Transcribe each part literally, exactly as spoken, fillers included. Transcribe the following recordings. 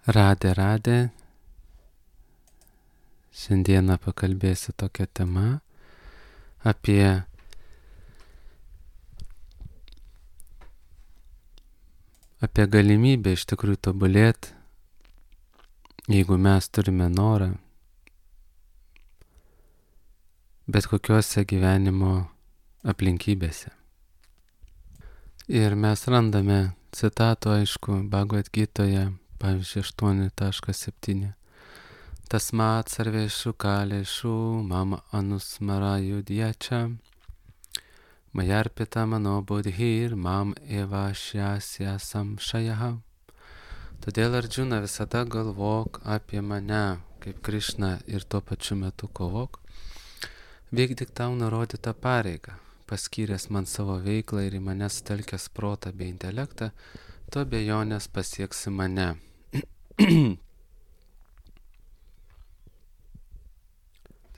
Radė, radė. Šiandieną pakalbėsiu tokią temą apie apie galimybę iš tikrųjų tobulėti, jeigu mes turime norą, bet kokiuose gyvenimo aplinkybėse. Ir mes randame citatų, aišku, Bhagavad Gitoje, pavyzdžiui, aštuoni septyni. Tasmat sarveshu kaleshu mama anusmara yudhyacha mayarpita mano bodhir mam eva šyasya samšajaha. Todėl, Arjuna, visada galvok apie mane kaip Krišną ir tuo pačiu metu kovok. Vykdyk tau nurodytą pareigą, paskyręs man savo veiklą ir į mane sutelkęs protą bei intelektą, tu abejonės pasieksi mane.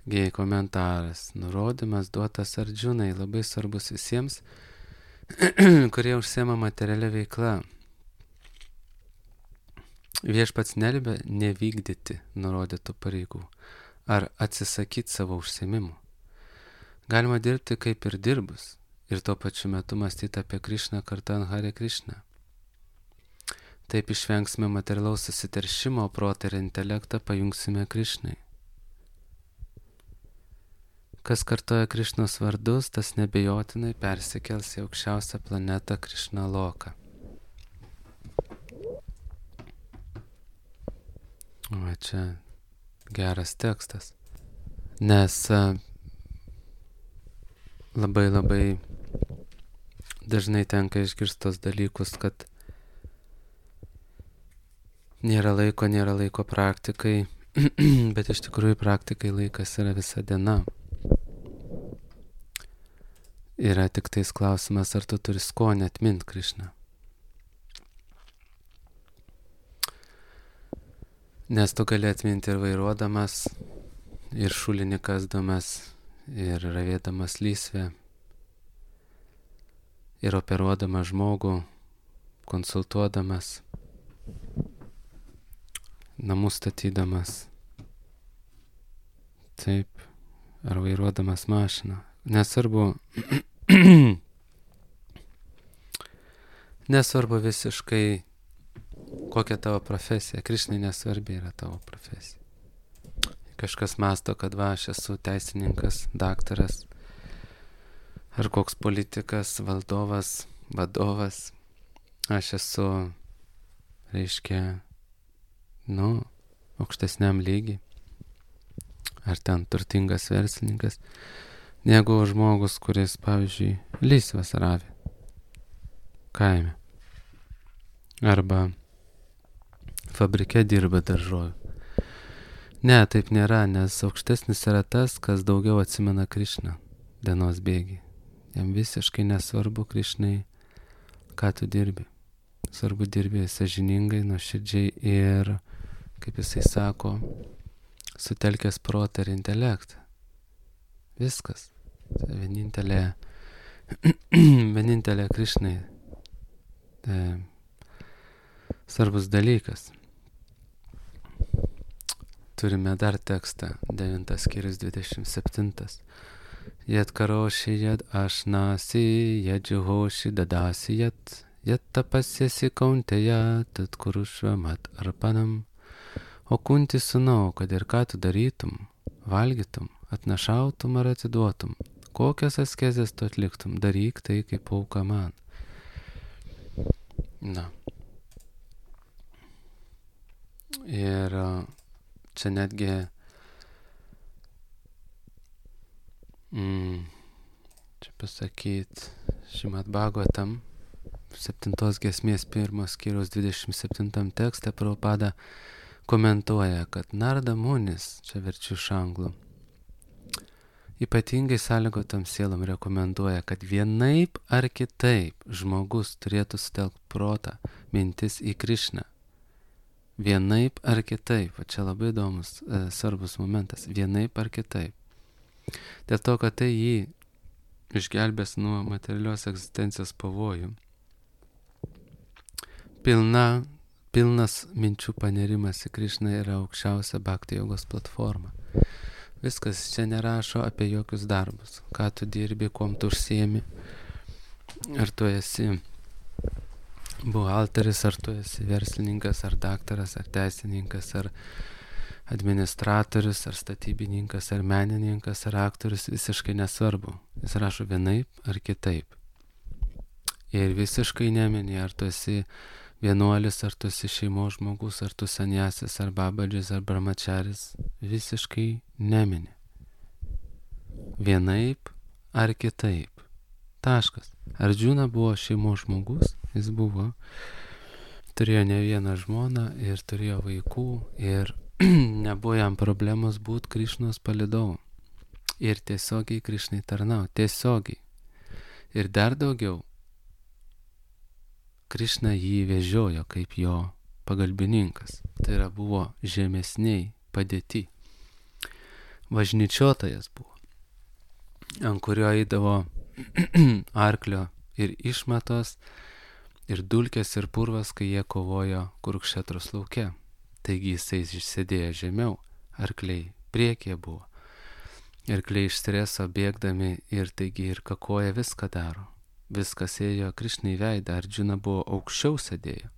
Taigi komentaras, nurodymas duotas Arjunai, labai svarbus visiems, kurie užsiema materialia veikla. Viešpats neliepia nevykdyti nurodytų pareigų ar atsisakyti savo užsiėmimų. Galima dirbti kaip ir dirbus ir tuo pačiu metu mąstyti apie Krišną kartojant Hare Krišną. Taip išvengsime materialaus susiteršimo, protą ir intelektą pajungsime Krišnai. Kas kartoja Krišnos vardus, tas nebejotinai persikels į aukščiausią planetą Krišna Loką. O čia geras tekstas, nes labai labai dažnai tenka išgirstos dalykus, kad nėra laiko, nėra laiko praktikai, bet iš tikrųjų praktikai laikas yra visa diena. Yra tik tais klausimas, ar tu turi skonį atmint Krišną. Nes tu gali atminti ir vairuodamas, ir šulinį kasdamas, ir ravėdamas lysvę, ir operuodamas žmogų, konsultuodamas, namus statydamas, taip, ar vairuodamas mašiną. Nesvarbu, nesvarbu visiškai, kokia tavo profesija. Krišnai nesvarbi yra tavo profesija. Kažkas mąsto, kad va, aš esu teisininkas, daktaras, ar koks politikas, valdovas, vadovas. Aš esu, reiškia, nu, aukštesniam lygiai. Ar ten turtingas verslininkas. Negu žmogus, kuris, pavyzdžiui, lysvas ravi kaime. Arba fabrike dirba daržovių. Ne, taip nėra, nes aukštesnis yra tas, kas daugiau atsimena Krišną dienos bėgį. Jam visiškai nesvarbu Krišnai, ką tu dirbi. Svarbu dirbi sąžiningai, nuoširdžiai ir, kaip jisai sako, sutelkęs protą ir intelektą. Viskas. Tai vienintelė, vienintelė Krišnai e, svarbus dalykas. Turime dar tekstą, devintas skyrius dvidešimt septintas. Jat karoši, jat ašnasi, jat džiuhoši, dadasi, jat, jat tapasiesi kauntėja, tad kurušva mat arpanam. O kunti sūnau, kad ir ką tu darytum, valgytum, atnašautum ar atiduotum, kokias askezės tu atliktum, daryk tai kaip auka man. Na. Ir čia netgi mm, čia pasakyt Šrimad Bhagavatam septintos giesmės pirmos skyriaus dvidešimt septintam tekste Prabhupada komentuoja, kad Narada Munis, čia verčiu iš anglų, ypatingai sąlygotam sielom rekomenduoja, kad vienaip ar kitaip žmogus turėtų sutelkti protą, mintis į Krišną. Vienaip ar kitaip, o čia labai įdomus, e, svarbus momentas, vienaip ar kitaip. Dėl to, kad tai jį išgelbės nuo materialios egzistencijos pavojų. Pilna pilnas minčių panerimas į Krišną yra aukščiausia bhakti jogos platforma. Viskas čia nerašo apie jokius darbus. Ką tu dirbi, kuom tu užsiemi. Ar tu esi buhalteris, ar tu esi verslininkas, ar daktaras, ar teisininkas, ar administratorius, ar statybininkas, ar menininkas, ar aktorius, visiškai nesvarbu. Jis rašo vienaip ar kitaip. Ir visiškai nemini, ar tu esi vienuolis, ar tu esi šeimos žmogus, ar tu sanjasis, ar babadžis, ar brahmačaris. Visiškai nemini. Vienaip ar kitaip. Taškas. Ardžuna buvo šeimos žmogus, jis buvo, turėjo ne vieną žmoną ir turėjo vaikų ir nebuvo jam problemos būti Krišnos palydovu. Ir tiesiogiai Krišnai tarnau. Tiesiogiai. Ir dar daugiau. Krišna jį vežiojo kaip jo pagalbininkas. Tai yra buvo žemesniai padėti. Važnyčiotojas buvo, ant kurio eidavo arklio ir išmatos, ir dulkės, ir purvas, kai jie kovojo Kurukšetros lauke. Taigi jisai išsėdėjo žemiau, arkliai priekyje buvo. Arkliai iš streso bėgdami ir taigi ir kakoja viską daro. Viskas ėjo Krišnai veidą, Ardžuna buvo aukščiau sėdėjo.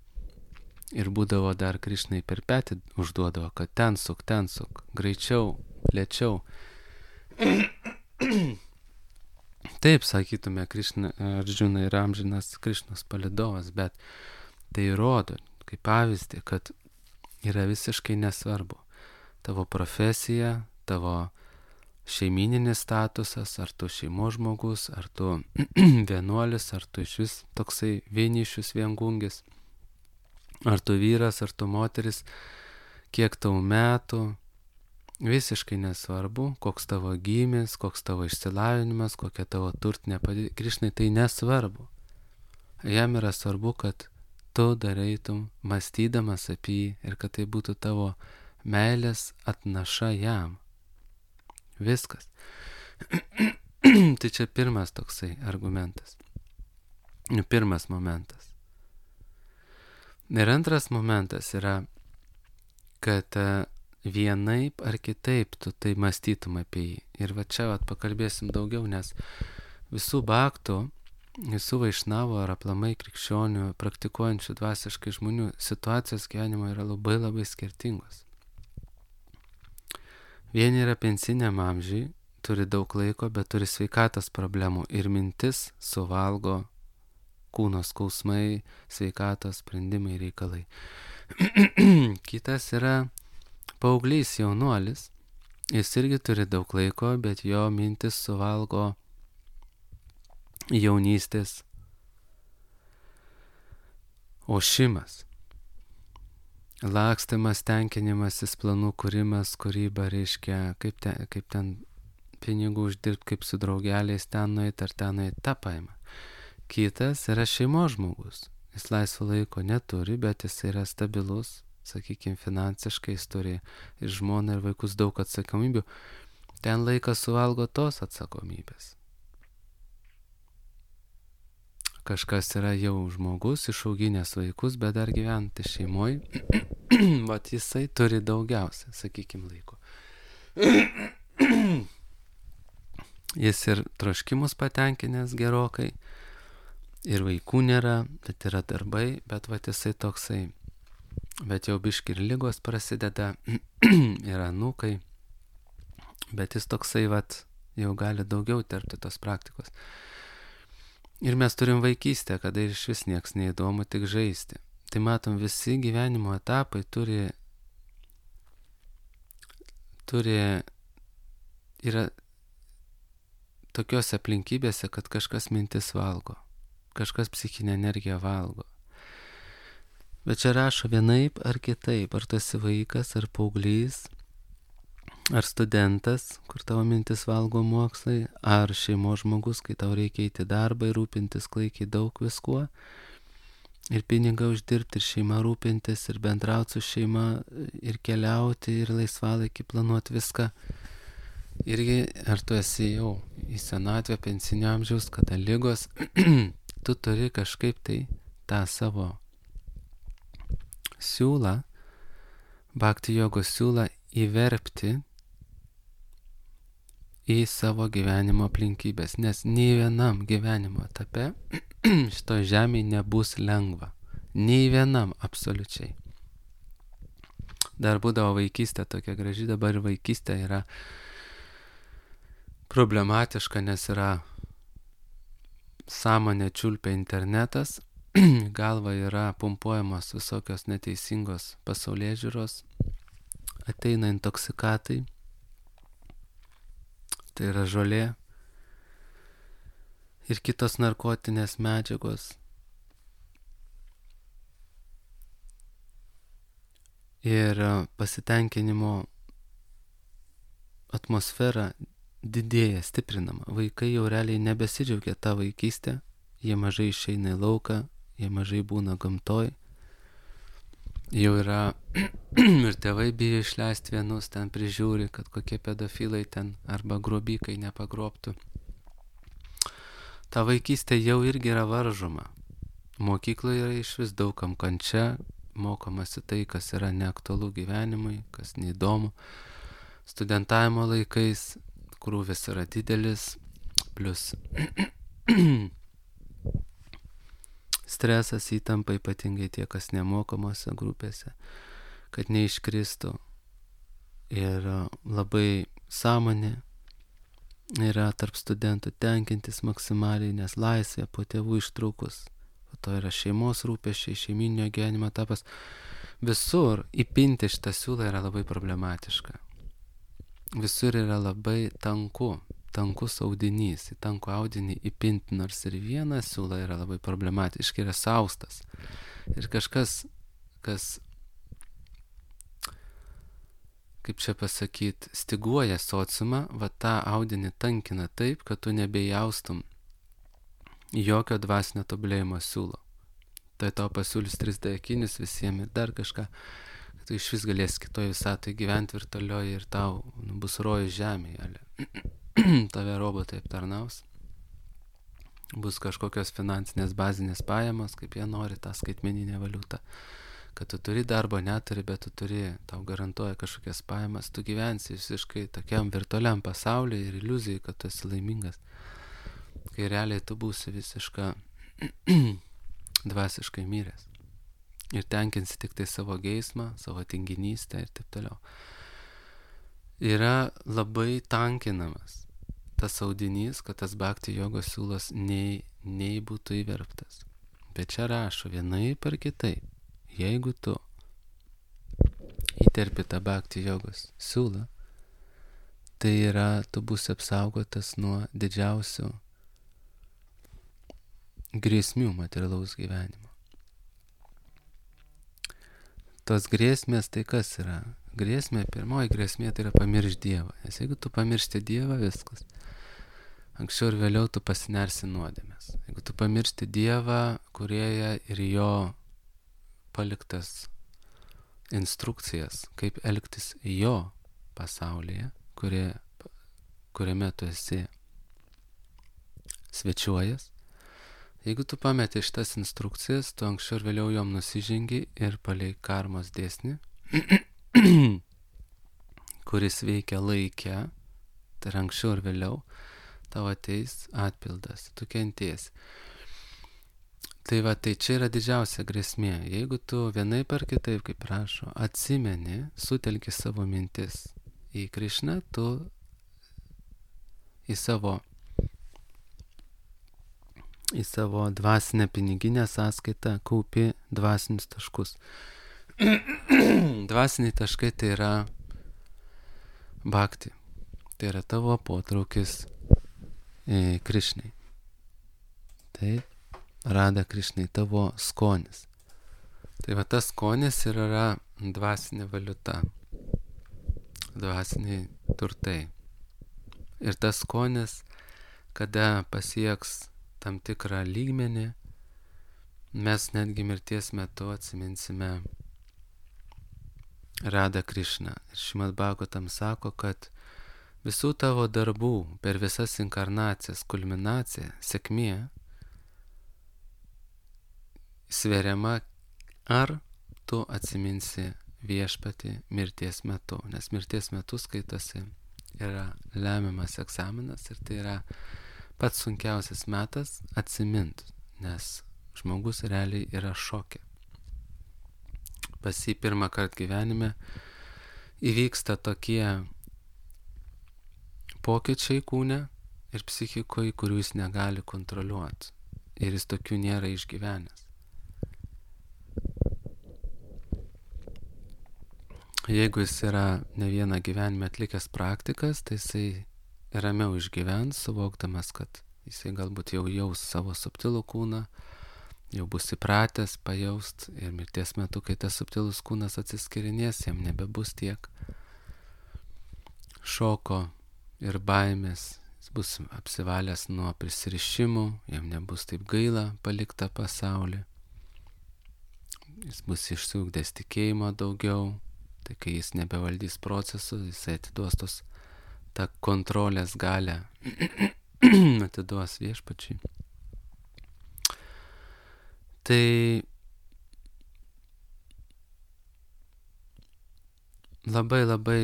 Ir būdavo dar Krišnai per petį užduodavo, kad ten suk, ten suk, greičiau, lėčiau. Taip, sakytume, Krišna, Ardžuna yra amžinas Krišnos palydovas, bet tai rodo, kaip pavyzdį, kad yra visiškai nesvarbu. Tavo profesija, tavo šeimininis statusas, ar tu šeimos žmogus, ar tu vienuolis, ar tu iš vis toksai vienišius viengungis, ar tu vyras, ar tu moteris, kiek tau metų, visiškai nesvarbu, koks tavo gimis, koks tavo išsilavinimas, kokia tavo turtinė padėtis. Krišnai tai nesvarbu. Jam yra svarbu, kad tu dareitum mąstydamas apie jį ir kad tai būtų tavo meilės atnaša jam. Viskas. Tai čia pirmas toksai argumentas. Pirmas momentas. Ir antras momentas yra, kad vienaip ar kitaip tu tai mąstytum apie jį. Ir va čia vat pakalbėsim daugiau, nes visų bhaktų, visų vaišnavų ar aplamai krikščionių, praktikuojančių dvasiškai žmonių situacijos gyvenimo yra labai labai skirtingos. Vieni yra pensiniam amžiui, turi daug laiko, bet turi sveikatos problemų ir mintis suvalgo kūno skausmai, sveikatos sprendimai, reikalai. Kitas yra paauglys jaunuolis, jis irgi turi daug laiko, bet jo mintis suvalgo jaunystės ošimas, lakstymas, tenkinimasis, planų kūrimas, kūryba, reiškia, kaip ten, kaip ten pinigų uždirbti, kaip su draugeliais ten nueit ar ten nueit, tą paima. Kitas yra šeimos žmogus, jis laisvo laiko neturi, bet jis yra stabilus, sakykime, finansiškai, jis turi ir žmoną, ir vaikus, daug atsakomybių, ten laikas suvalgo tos atsakomybės. Kažkas yra jau žmogus, išauginęs vaikus, bet dar gyventi šeimoje, vat jisai turi daugiausia, sakykime, laiko. Jis ir troškimus patenkinęs gerokai, ir vaikų nėra, bet yra darbai, bet vat jisai toksai, bet jau biški ir lygos prasideda, ir anūkai, bet jis toksai vat jau gali daugiau terpti tos praktikos. Ir mes turim vaikystę, kada iš vis nieks neįdomu, tik žaisti. Tai matom, visi gyvenimo etapai turi, turi, yra tokiose aplinkybėse, kad kažkas mintis valgo, kažkas psichinę energiją valgo. Bet čia rašo vienaip ar kitaip, ar tu esi vaikas, ar paauglys, ar studentas, kur tavo mintis valgo mokslai, ar šeimos žmogus, kai tau reikia eiti darbą ir rūpintis klaikiai daug viskuo, ir pinigą uždirbti, ir šeima rūpintis, ir bendrauti su šeima, ir keliauti, ir laisvalaikį planuoti viską. Irgi, ar tu esi jau į senatvę, pensinio amžiaus, kada lygos, tu turi kažkaip tai tą savo siūlą, bhakti jogos siūlą įverpti į savo gyvenimo aplinkybės, nes nei vienam gyvenimo etape šitoj žemėje nebus lengva. Nei vienam absoliučiai. Dar būdavo vaikystė tokia graži, dabar vaikystė yra problematiška, nes yra sąmonė čiulpia internetas, galva yra pumpuojamos visokios neteisingos pasaulėžiūros, ateina intoksikatai, tai yra žolė ir kitos narkotinės medžiagos. Ir pasitenkinimo atmosfera didėja, stiprinama. Vaikai jau realiai nebesidžiaugia tą vaikystę, jie mažai išeina į lauką, jie mažai būna gamtoj. Jau yra ir tėvai bijo išleisti vienus, ten prižiūri, kad kokie pedofilai ten arba grobikai nepagrobtų. Ta vaikystė jau irgi yra varžoma. Mokykloje yra iš vis daugam kančia, mokomasi tai, kas yra neaktualu gyvenimui, kas neįdomu. Studentavimo laikais krūvis yra didelis, plus stresas, įtampa, ypatingai tie, kas nemokamose grupėse, kad neiškristų. Ir labai sąmonė yra tarp studentų tenkintis maksimaliai, nes laisvė po tėvų ištrūkus. Po to yra šeimos rūpesčiai, šeiminio gyvenimo etapas. Visur įpinti šitą siūlą yra labai problematiška. Visur yra labai tanku, tankus audinys. Į tankų audinį įpinti nors ir vieną siūlą yra labai problematiška, yra saustas. Ir kažkas, kas, kaip čia pasakyti, stiguoja sociumą, va tą audinį tankina taip, kad tu nebejaustum jokio dvasinio tobulėjimo siūlo. Tai tau pasiūlys trys D akinis visiems ir dar kažką, kad tu iš vis galėsi kitoj visatoj gyventi virtualioje ir tau nu, bus rojus žemėje. Tave robotai aptarnaus. Bus kažkokios finansinės bazinės pajamos, kaip jie nori, tą skaitmeninę valiutą. Kad tu turi darbo, neturi, bet tu turi, tau garantuoja kažkokias pajamas, tu gyvensi visiškai tokiam virtualiam pasaulyje ir iliuzijai, kad tu esi laimingas. Kai realiai tu būsi visiška dvasiškai miręs. Ir tenkinsi tik tai savo geismą, savo tinginystę ir taip toliau. Yra labai tankinamas tas audinys, kad tas bhakti jogos siūlas nei, nei būtų įverptas. Bet čia rašo vienaip ar kitaip. Jeigu tu įterpi tą bhakti jogos siūlą, tai yra, tu būsi apsaugotas nuo didžiausių grėsmių materialaus gyvenimo. Tos grėsmės tai kas yra? Grėsmė, pirmoji grėsmė tai yra pamiršti Dievą. Nes jeigu tu pamiršti Dievą, viskas. Anksčiau ir vėliau tu pasinersi nuodėmės. Jeigu tu pamiršti Dievą, Kūrėją ir jo paliktas instrukcijas, kaip elgtis jo pasaulyje, kurie, kuriame tu esi svečiuojas, jeigu tu pameti šitas instrukcijas, tu anksčiau ir vėliau jom nusižengi ir palei karmos dėsnį, kuris veikia laike, tai anksčiau ir vėliau tavo ateis atpildas, tu kentiesi. Tai va, tai čia yra didžiausia grėsmė. Jeigu tu vienaip ar kitaip, kaip prašo, atsimeni, sutelki savo mintis į Krišną, tu į savo į savo dvasinę piniginę sąskaitą kaupi dvasinius taškus. Dvasiniai taškai tai yra bhakti. Tai yra tavo potraukis e, Krišnai. Taip, Rada Krišnai, tavo skonis. Tai va tas skonis ir yra dvasinė valiuta. Dvasiniai turtai. Ir tas skonis, kada pasieks tam tikrą lygmenį, mes netgi mirties metu atsiminsime Rada Krišną. Ir Šrimad Bhagavatam sako, kad visų tavo darbų per visas inkarnacijas kulminacija, sėkmė, sveriama ar tu atsiminsi viešpatį mirties metu, nes mirties metu skaitosi yra lemiamas egzaminas ir tai yra pats sunkiausias metas atsimint, nes žmogus realiai yra šoke. Pas jį pirmą kartą gyvenime įvyksta tokie pokyčiai kūne ir psichikoje, kurių jis negali kontroliuoti. Ir jis tokių nėra išgyvenęs. Jeigu jis yra ne vieną gyvenime atlikęs praktikas, tai jisai ramiau išgyvens, suvokdamas, kad jisai galbūt jau jaus savo subtilų kūną, jau bus įpratęs pajaust ir mirties metu, kai tas subtilus kūnas atsiskirinės, jam nebebus tiek šoko ir baimės, jis bus apsivalęs nuo prisirišimų, jam nebus taip gaila paliktą pasaulį, jis bus išsiugdęs tikėjimo daugiau, tai kai jis nebevaldys procesų, jisai atiduos tos tą kontrolės galę, atiduos viešpačiui. Tai labai labai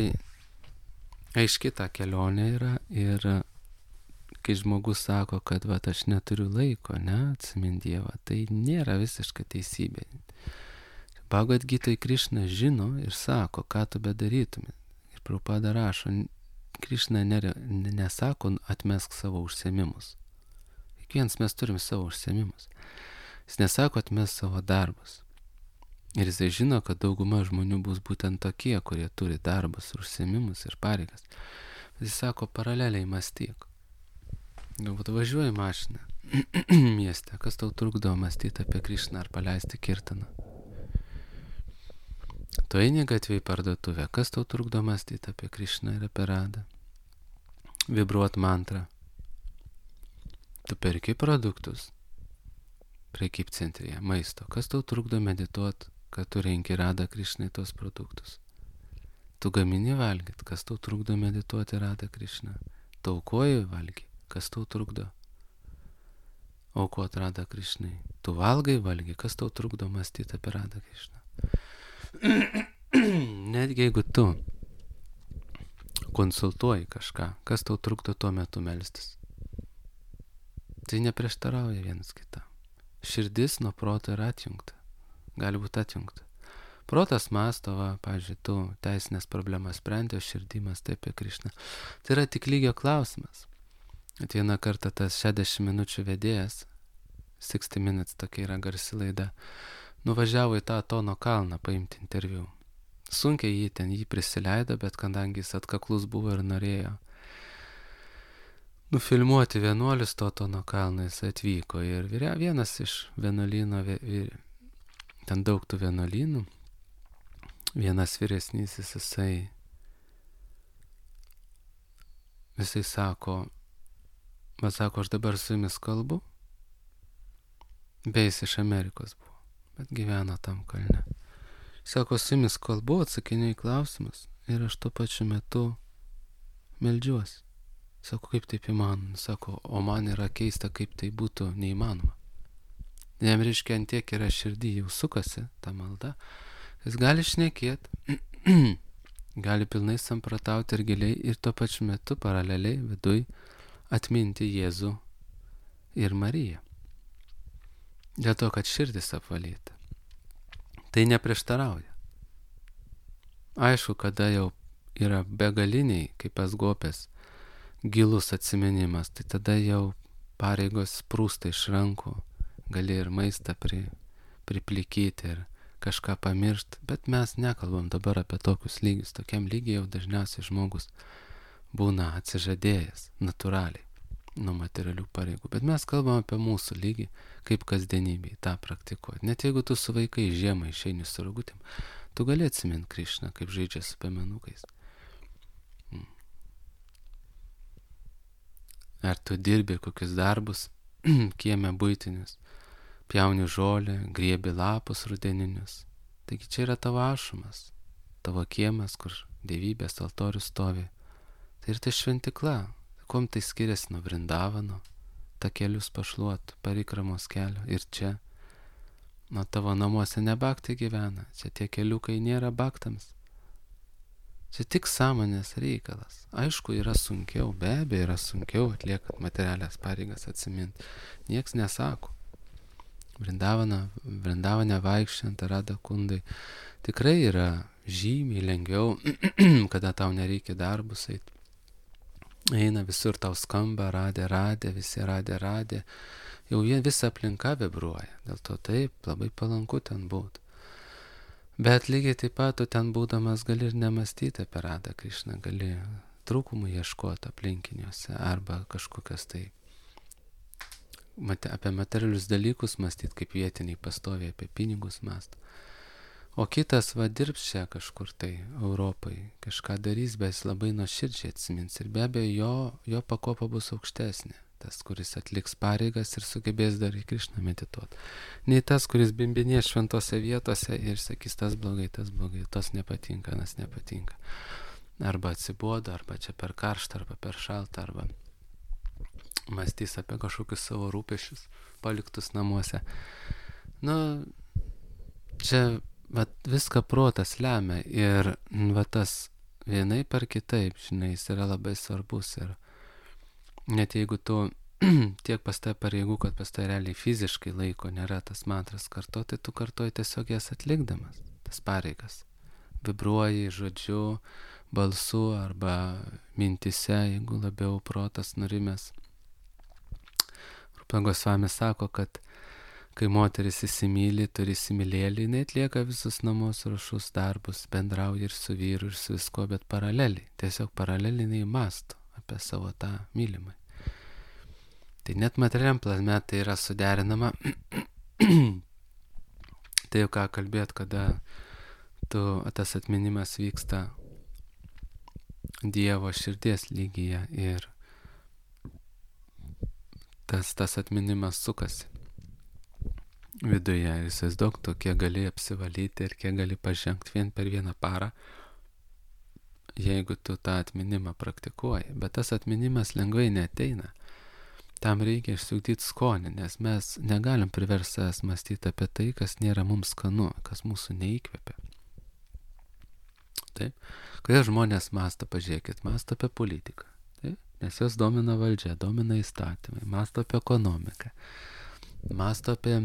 aiški ta kelionė yra ir kai žmogus sako, kad va, aš neturiu laiko, ne, atsimint Dievą, tai nėra visiška teisybė. Bhagavad Gitoj Krišna žino ir sako, ką tu bedarytum. Ir Prabhupada rašo, Krišna nesako atmesk savo užsiėmimus. Kiekvienas mes turim savo užsiėmimus. Jis nesako atmesk savo darbus. Ir jisai žino, kad dauguma žmonių bus būtent tokie, kurie turi darbus, užsiėmimus ir pareigas. Bet jis sako, paraleliai mąstyk. Galbūt važiuoji mašiną mieste, kas tau trukdo mąstyti apie Krišną ar paleisti kirtaną? Tu eini gatvėj parduotuvę, kas tau trukdo mąstyti apie Krišną ir apie Radą? Vibruot mantrą. Tu perki produktus prekybcentrėje, maisto, kas tau trukdo medituot, kad tu renki Radą Krišnai tos produktus? Tu gamini valgyt, kas tau trukdo medituoti Radą Krišną? Tu aukoji valgy, kas tau trukdo aukot Radą Krišnai? Tu valgai valgy, kas tau trukdo mąstyti apie Radą Krišną? Netgi jeigu tu konsultuoji kažką, kas tau trukdo tuo metu melstis, tai neprieštarauja vienas kitam. Širdis nuo proto yra atjungta, gali būti atjungta. Protas mąsto, va, pavyzdžiui, tu teisinės problemas sprendė, širdimas taip apie Krišną. Tai yra tik lygio klausimas. At vieną kartą tas šešiasdešimt minučių vedėjas, sixty minutes tokia yra garsi laida, nuvažiavo į tą Tono kalną paimti interviu. Sunkiai jį ten jį prisileido, bet kadangi jis atkaklus buvo ir norėjo nufilmuoti vienuolius to Tono kalną, jis atvyko. Ir vienas iš vienuolyno, ten daug tų vienuolynų, vienas vyresnysis, jisai, jisai sako, man sako, aš dabar su jumis kalbu, bei jis iš Amerikos buvo, bet gyveno tam kalne. Sako, su jumis kalbu, atsakinėjau į klausimus ir aš tuo pačiu metu meldžiuosi. Sako, kaip taip įmanoma? Sako, o man yra keista, kaip tai būtų neįmanoma. Jam reiškia, ant tiek yra širdį, jau sukasi ta malda. Jis gali šnekėti, gali pilnai sampratauti ir giliai ir tuo pačiu metu paraleliai viduj atminti Jėzų ir Mariją. Dėl to, kad širdis apvalyta. Tai neprieštarauja. Aišku, kada jau yra begaliniai, kaip pas Gopės, gilus atsiminimas, tai tada jau pareigos sprūsta iš rankų, gali ir maistą pri, priplikyti ir kažką pamiršti, bet mes nekalbam dabar apie tokius lygius. Tokiam lygiai jau dažniausiai žmogus būna atsižadėjęs natūraliai nuo materialių pareigų, bet mes kalbam apie mūsų lygį, kaip kasdienybėje tą praktikuoti. Net jeigu tu su vaikai žiemą išeini su rogutėm, tu gali atsimint Krišną, kaip žaidžia su piemenukais. Ar tu dirbi kokius darbus, kieme buitinius, pjauni žolę, griebi lapus rudeninius. Taigi čia yra tavo ašumas, tavo kiemas, kur dievybės altorius stovi. Tai ir tai šventikla. Kuom tai skiriasi nuo Vrindavano, takelius pašluot, parikramos kelio ir čia. O tavo namuose ne bhakti gyvena, čia tie keliukai nėra bhaktams. Čia tik sąmonės reikalas. Aišku, yra sunkiau, be abejo yra sunkiau atliekant materialias pareigas atsiminti. Nieks nesako. Vrindavana, vrindavane vaikščiant Rada Kundai tikrai yra žymiai lengviau, kada tau nereikia darbus eiti. Eina visur tau skamba, radė, radė, visi radė, radė. Jau visa aplinka vibruoja. Dėl to taip, labai palanku ten būti. Bet lygiai taip pat tu ten būdamas gali ir nemastyti apie Radą Krišną, gali trūkumų ieškoti aplinkiniuose arba kažkokias tai apie materialius dalykus mąstyti, kaip vietiniai pastoviai apie pinigus mąsto. O kitas va dirbs čia kažkur tai Europai, kažką darys, bet jis labai nuoširdžiai atsimins ir be abejo jo, jo pakopa bus aukštesnė. Tas, kuris atliks pareigas ir sugebės dar į Krišną medituoti. Nei tas, kuris bimbinės šventose vietose ir sakys, tas blogai, tas blogai, tas nepatinka, tas nepatinka. Arba atsibodo, arba čia per karštą, arba per šaltą, arba mąstys apie kažkokius savo rūpešius paliktus namuose. Nu, čia va, viską protas lemia ir va, tas vienaip ar kitaip, žinai, jis yra labai svarbus ir net jeigu tu tiek pas tai pareigų, kad pas tai realiai fiziškai laiko nėra tas mantras kartoti, tai tu kartoji tiesiog jas atlikdamas, tas pareigas. Vibruoji žodžiu, balsu arba mintise, jeigu labiau protas nurimęs. Rupa Gosvami sako, kad kai moteris įsimyli, turi įsimylėlį, jinai atlieka visus namus ruošus darbus, bendrauja ir su vyru, ir su visko, bet paraleliai. Tiesiog paraleliai jinai mąsto apie savo tą mylimą. Tai net materialiam plane tai yra suderinama. Tai jau ką kalbėt, kada tu, tas atminimas vyksta Dievo širdies lygyje ir tas, tas atminimas sukasi viduje. Ir įsivaizduok, tu kiek gali apsivalyti ir kiek gali pažengti vien per vieną parą, jeigu tu tą atminimą praktikuoji. Bet tas atminimas lengvai neateina. Tam reikia išsiugdyti skonį, nes mes negalim priversti savęs mąstyti apie tai, kas nėra mums skanu, kas mūsų neįkvepia. Taip? Kodėl žmonės mąsto, pažiūrėkit, mąsto apie politiką. Taip? Nes jos domina valdžia, domina įstatymai, mąsto apie ekonomiką, mąsto apie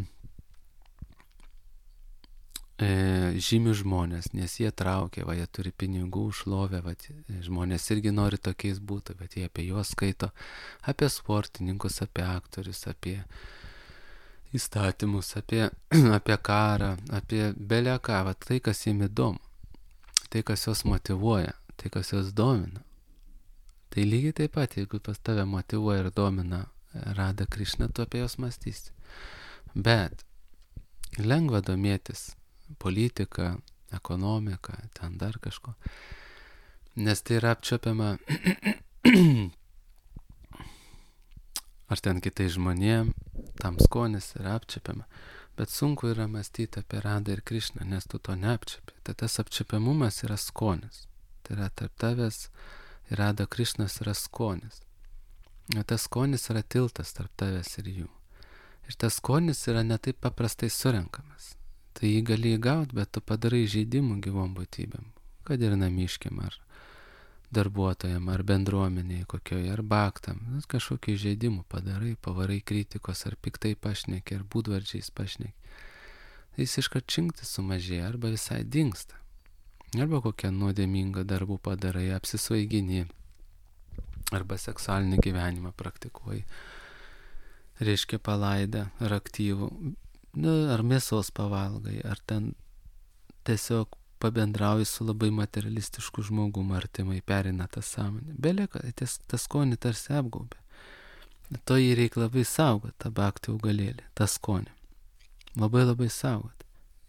E, žymių žmonės, nes jie traukia, va, jie turi pinigų, šlovę, va, žmonės irgi nori tokiais būti, bet jie apie juos skaito, apie sportininkus, apie aktorius, apie įstatymus, apie, apie karą, apie belę ką, va, tai, kas jiems įdomu, tai, kas juos motyvuoja, tai, kas juos domina. Tai lygiai taip pat, jeigu pas tave motyvuoja ir domina Rada Krišna, tu apie juos mąstysi. Bet lengva domėtis politika, ekonomika, ten dar kažko. Nes tai yra apčiopiama ar ten kitai žmonėm, tam skonis yra apčiopiama. Bet sunku yra mąstyti apie Radą ir Krišną, nes tu to neapčiopi. Tai tas apčiopiamumas yra skonis. Tai yra tarp tavęs ir Rada Krišnas yra skonis. O tas skonis yra tiltas tarp tavęs ir jų. Ir tas skonis yra ne taip paprastai surenkamas. Tai jį gali įgauti, bet tu padarai žaidimų gyvom būtybėm, kad ir namiškiam, ar darbuotojam, ar bendruomeniai kokioje, ar baktam. Kažkokių žaidimų padarai, pavarai kritikos, ar piktai pašneki, ar būdvardžiais pašneki. Jis iškart činkti sumažėja, arba visai dingsta. Arba kokią nuodėmingą darbų padarai, apsisvaigini, arba seksualinį gyvenimą praktikuoji. Reiškia palaidą, ar aktyvų. Nu, ar mėsos pavalgai, ar ten tiesiog pabendrauji su labai materialistišku žmogum, artimai perina tą sąmonę. Beleka, tas, tas skonį tarsi apgaubė. To jį reikia labai saugoti, tą bhakti augalėlį, tą skonį. Labai labai saugoti.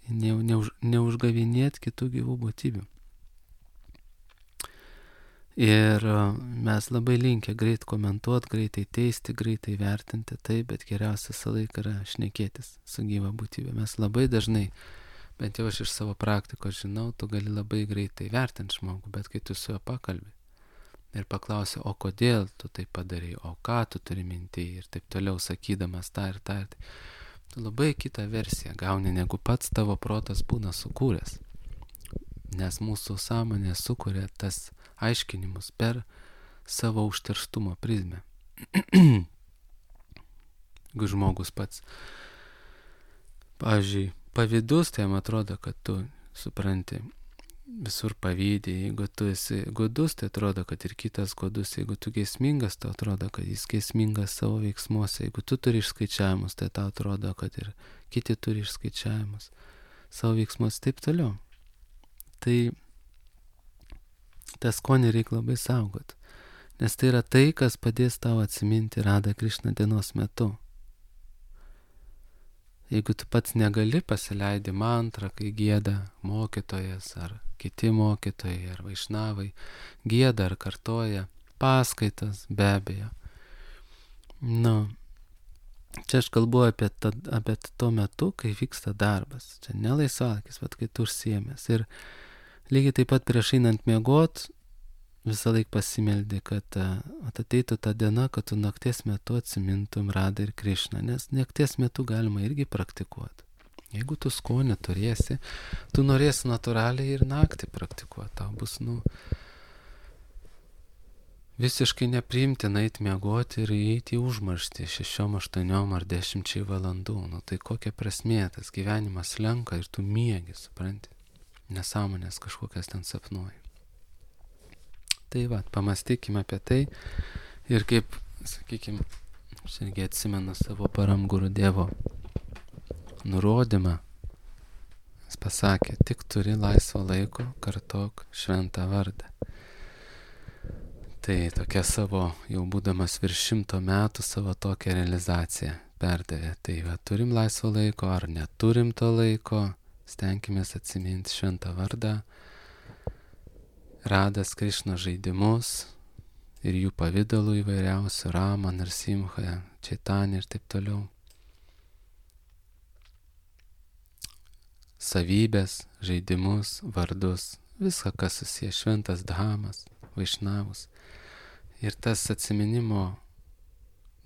Ne, neuž, neužgavinėti kitų gyvų būtybių. Ir mes labai linkę greit komentuoti, greitai teisti, greitai vertinti, tai, bet geriausia visą laiką yra šnekėtis su gyva būtybė. Mes labai dažnai, bent jau aš iš savo praktikos žinau, tu gali labai greitai vertinti žmogų, bet kai tu su juo pakalbi ir paklausi, o kodėl tu tai padarai, o ką tu turi mintyje ir taip toliau sakydamas tą ir tą, tu labai kitą versiją gauni, negu pats tavo protas būna sukūręs. Nes mūsų sąmonė sukuria tas aiškinimus per savo užterštumo prizmę. Jeigu žmogus pats, pavyzdžiui, pavydus, tai jam atrodo, kad tu supranti, visur pavydį. Jeigu tu esi godus, tai atrodo, kad ir kitas godus. Jeigu tu geismingas, tai atrodo, kad jis geismingas savo veiksmuose. Jeigu tu turi išskaičiavimus, tai tau atrodo, kad ir kiti turi išskaičiavimus savo veiksmuose, taip toliau. Tai tą skonį reikia labai saugoti, nes tai yra tai, kas padės tau atsiminti Radha Krišna dienos metu. Jeigu tu pats negali, pasileidi mantrą, kai gieda mokytojas ar kiti mokytojai ar vaišnavai, gieda ar kartoja paskaitas, be abejo. Nu, čia aš kalbu apie, ta, apie to metu, kai vyksta darbas. Čia ne laisvalakis, bet kai tu užsiėmęs. Ir lygiai taip pat prieš einant miegot, visą laiką pasimeldi, kad ateitų ta diena, kad tu nakties metu atsimintum Radha ir Krišną, nes nakties metu galima irgi praktikuoti. Jeigu tu skonį turėsi, tu norėsi natūraliai ir naktį praktikuoti. Tau bus, nu, visiškai nepriimtina eiti miegoti ir įeiti į užmarštį šešiom, aštuoniom ar dešimčiai valandų. Nu, tai kokia prasmė, tas gyvenimas slenka ir tu miegi, supranti, nesąmonės kažkokias ten sapnuoji. Tai va, pamastykime apie tai ir kaip, sakykime, aš irgi atsimenu savo Param Gurudevo nurodymą. Jis pasakė, tik turi laisvo laiko, kartok šventą vardą. Tai tokia savo, jau būdamas virš šimto metų, savo tokią realizaciją perdavė. Tai va, turim laisvo laiko ar neturim to laiko, stenkimės atsiminti šventą vardą, Radhas Krišna žaidimus ir jų pavidalų įvairiausių, Rama, Narsimha, Chaitanya ir taip toliau. Savybės, žaidimus, vardus, viską, kas susiję, šventas dhamas, vaišnavus. Ir tas atsiminimo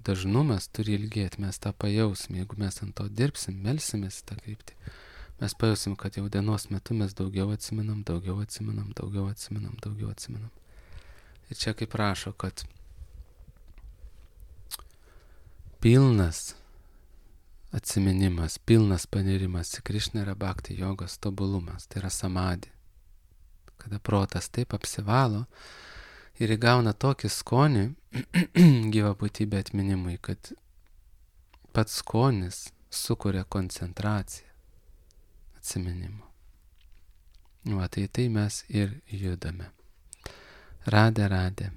dažnumas turi ilgėti, mes tą pajausim, jeigu mes ant to dirbsim, melsimės tą kryptį. Mes pajausim, kad jau dienos metu mes daugiau atsiminam, daugiau atsiminam, daugiau atsiminam, daugiau atsiminam. Ir čia kaip rašo, kad pilnas atsiminimas, pilnas panirimas į Krišną yra bhakti jogos tobulumas, tai yra samadhi. Kada protas taip apsivalo ir įgauna tokį skonį gyvą būtybę atminimui, kad pats skonis sukuria koncentraciją atsiminimo. Va, tai tai mes ir judame. Radhe, Radhe.